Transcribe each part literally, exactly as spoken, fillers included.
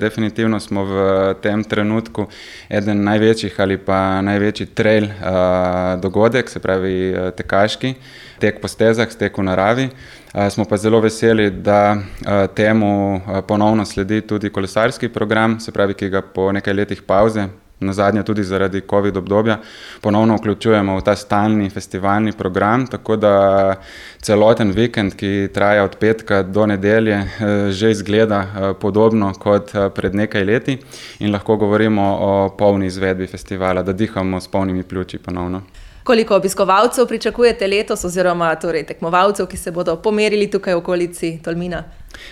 Definitivno smo v tem trenutku eden največjih ali pa največji trail uh, dogodek, se pravi uh, tekaški, tek po stezah, tek v naravi. Uh, smo pa zelo veseli, da uh, temu uh, ponovno sledi tudi kolesarski program, se pravi, ki ga po nekaj letih pavze, nazadnje tudi zaradi covid obdobja, ponovno vključujemo v ta stalni festivalni program, tako da celoten vikend, ki traja od petka do nedelje, že izgleda podobno kot pred nekaj leti in lahko govorimo o polni izvedbi festivala, da dihamo s polnimi pljuči ponovno. Koliko obiskovalcev pričakujete letos oziroma torej tekmovalcev, ki se bodo pomerili tukaj v okolici Tolmina?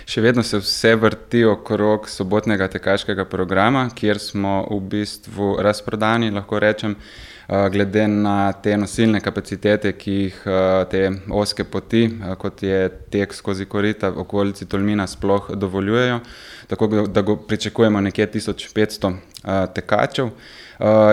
Še vedno se vse vrti okrog sobotnega tekaškega programa, kjer smo v bistvu razprodani, lahko rečem, glede na te nosilne kapacitete, ki jih te ozke poti, kot je tek skozi korita v okolici Tolmina, sploh dovoljujejo. Tako da go pričakujemo nekje tisoč petsto tekačev.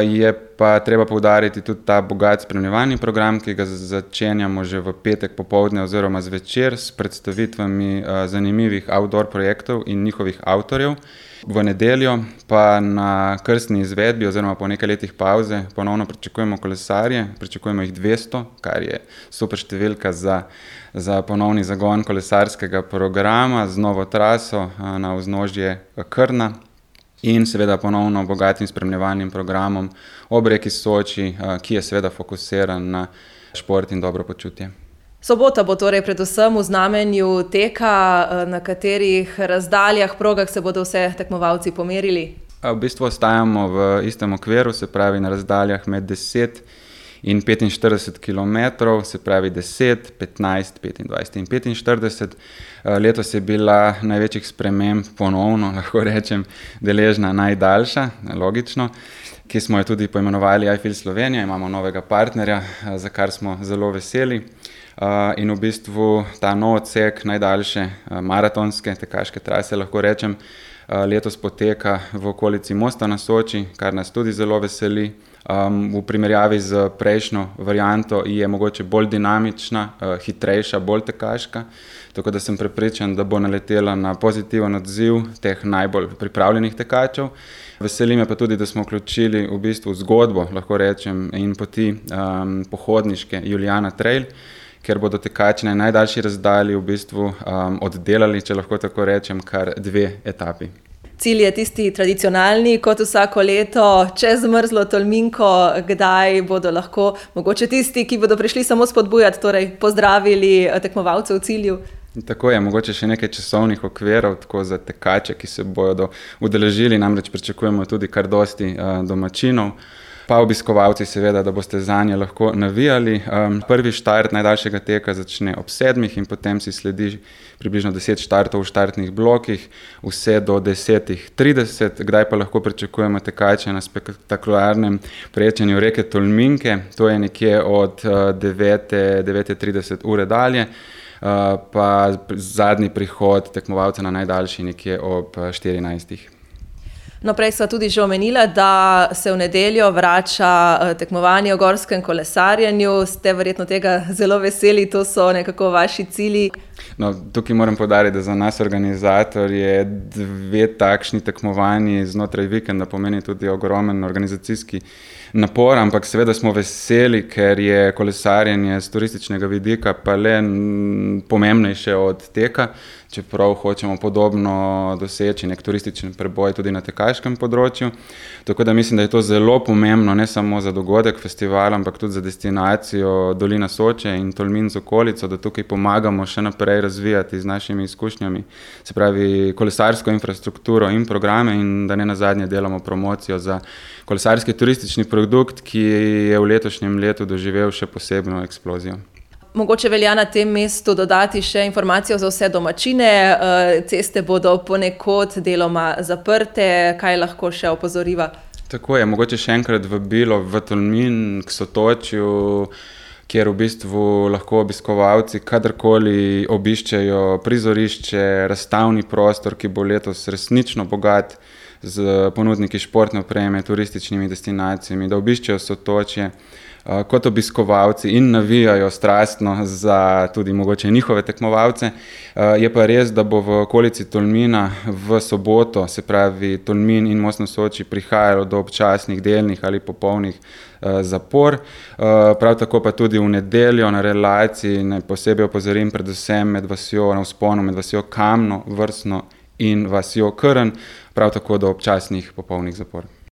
Je pa treba poudariti tudi ta bogat spremljevalni program, ki ga začenjamo že v petek popoldne oziroma zvečer s predstavitvami zanimivih outdoor projektov in njihovih avtorjev. V nedeljo pa na krstni izvedbi oziroma po nekaj letih pavze ponovno pričakujemo kolesarje, pričakujemo jih dvesto, kar je super številka za, za ponovni zagon kolesarskega programa z novo traso na vznožje Krna. In seveda ponovno bogatim spremljevalnim programom ob reki Soči, ki je seveda fokusiran na šport in dobro počutje. Sobota bo torej predvsem v znamenju teka, na katerih razdaljah, progah se bodo vse tekmovalci pomerili? V bistvu ostajamo v istem okviru, se pravi na razdaljah med deset in petinštirideset kilometrov, se pravi deset, petnajst, petindvajset in petinštirideset. Letos je bila največjih sprememb ponovno, lahko rečem, deležna najdaljša, logično, ki smo jo tudi poimenovali iFeel Slovenija, imamo novega partnerja, za kar smo zelo veseli. In v bistvu ta nov odsek najdaljše maratonske tekaške trase, lahko rečem, letos poteka v okolici Mosta na Soči, kar nas tudi zelo veseli. Um, v primerjavi z prejšnjo varianto je mogoče bolj dinamična, uh, hitrejša, bolj tekaška, tako da sem prepričan, da bo naletela na pozitiven odziv teh najbolj pripravljenih tekačev. Veseli me pa tudi, da smo vključili v bistvu zgodbo, lahko rečem, in poti um, pohodniške Julijana Trail, ker bodo tekači na najdaljši razdalji v bistvu um, oddelali, če lahko tako rečem, kar dve etapi. Cilj je tisti tradicionalni, kot vsako leto, čez mrzlo Tolminko, kdaj bodo lahko mogoče tisti, ki bodo prišli samo spodbujati, torej pozdravili tekmovalce v cilju? Tako je, mogoče še nekaj časovnih okvirov, tako za tekače, ki se bodo udeležili, namreč pričakujemo tudi kar dosti uh, domačinov. Pa obiskovalci seveda, da boste zanje lahko navijali. Um, prvi štart najdaljšega teka začne ob sedmih in potem si sledi približno deset štartov v štartnih blokih, vse do deset trideset, kdaj pa lahko pričakujemo tekače na spektakularnem prečenju reke Tolminke, to je nekje od devete trideset ure dalje, uh, pa zadnji prihod tekmovalca na najdaljši nekje ob štirinajstih. No, prej sva tudi že omenila, da se v nedeljo vrača tekmovanje o gorskem kolesarjenju. Ste verjetno tega zelo veseli, to so nekako vaši cilji. No, tukaj moram poudariti, da za nas organizator je dve takšni tekmovanji znotraj vikenda pomeni tudi ogromen organizacijski napor, ampak seveda smo veseli, ker je kolesarjenje z turističnega vidika pa le pomembnejše od teka, čeprav hočemo podobno doseči nek turistični preboj tudi na tekaškem področju. Tako da mislim, da je to zelo pomembno, ne samo za dogodek festivala, ampak tudi za destinacijo Dolina Soče in Tolmin z okolico, da tukaj pomagamo še naprej razvijati z našimi izkušnjami, se pravi kolesarsko infrastrukturo in programe in da ne nazadnje delamo promocijo za kolesarski turistični produkt, ki je v letošnjem letu doživel še posebno eksplozijo. Mogoče velja na tem mestu dodati še informacijo za vse domačine. Ceste bodo ponekod deloma zaprte, kaj lahko še opozoriva? Tako je, mogoče še enkrat vabilo v Tolmin k Sotočju, kjer v bistvu lahko obiskovalci kadarkoli obiščejo prizorišče, razstavni prostor, ki bo letos resnično bogat z ponudniki športne opreme, turističnimi destinacijami, da obiščejo Sotočje kot obiskovalci in navijajo strastno za tudi mogoče njihove tekmovalce. Je pa res, da bo v okolici Tolmina v soboto, se pravi Tolmin in Most na Soči, prihajalo do občasnih delnih ali popolnih zapor. Prav tako pa tudi v nedeljo na relaciji, ne posebej opozorim predvsem med vasjo na vzponu, med vasjo Kamno, Vrsno in vasjo Krn, prav tako do občasnih popolnih zapor.